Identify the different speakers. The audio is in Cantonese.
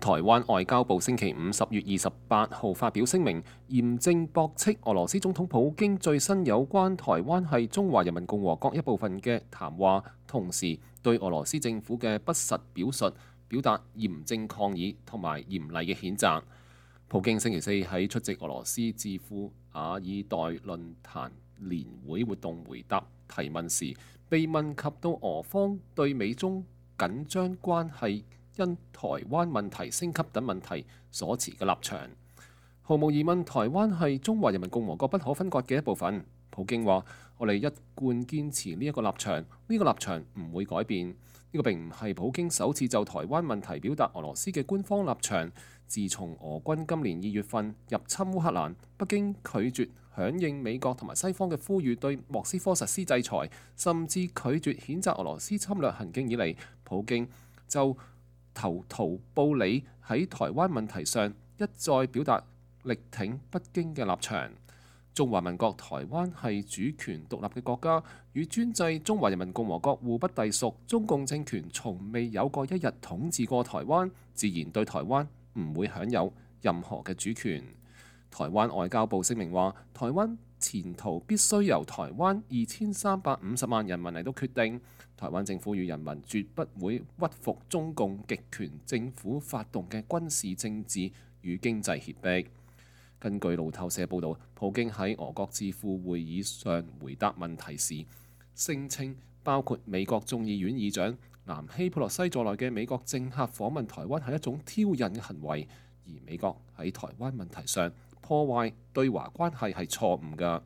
Speaker 1: 台灣外交部星期五10月28號發表聲明，嚴正駁斥俄羅斯總統普京最新有關台灣係中華人民共和國一部分嘅談話，同時對俄羅斯政府嘅不實表述表達嚴正抗議同埋嚴厲嘅譴責。普京星期四喺出席俄羅斯智庫瓦爾代論壇年會活動回答提問時，被問及到俄方對美中緊張關係因台灣問題升級等問題所持嘅立場。毫無疑問，台灣係中華人民共和國不可分割嘅一部分。普京話：我哋一貫堅持呢一個立場，呢個立場唔會改變。呢個並唔係普京首次就台灣問題表達俄羅斯嘅官方立場。自從俄軍今年2月份入侵烏克蘭，北京拒絕響應美國同埋西方嘅呼籲，對莫斯科實施制裁，甚至拒絕譴責俄羅斯侵略行徑以嚟，普京就投桃報李喺台灣問題上一再表達力挺北京嘅立場。中華民國台灣係主權獨立嘅國家，與專制中華人民共和國互不隸屬。中共政權從未有過一日統治過台灣，自然對台灣唔會享有任何嘅主權。台灣外交部聲明話：台灣前途必須由台灣2350萬人民嚟到決定。台灣政府與人民絕不會屈服中共極權政府發動嘅軍事政治與經濟脅迫。根據路透社報導，普京喺俄國智庫會議上回答問題時，聲稱包括美國眾議院議長南希佩洛西在內嘅美國政客訪問台灣係一種挑釁嘅行為，而美國喺台灣問題上破壞對華關係係錯誤㗎。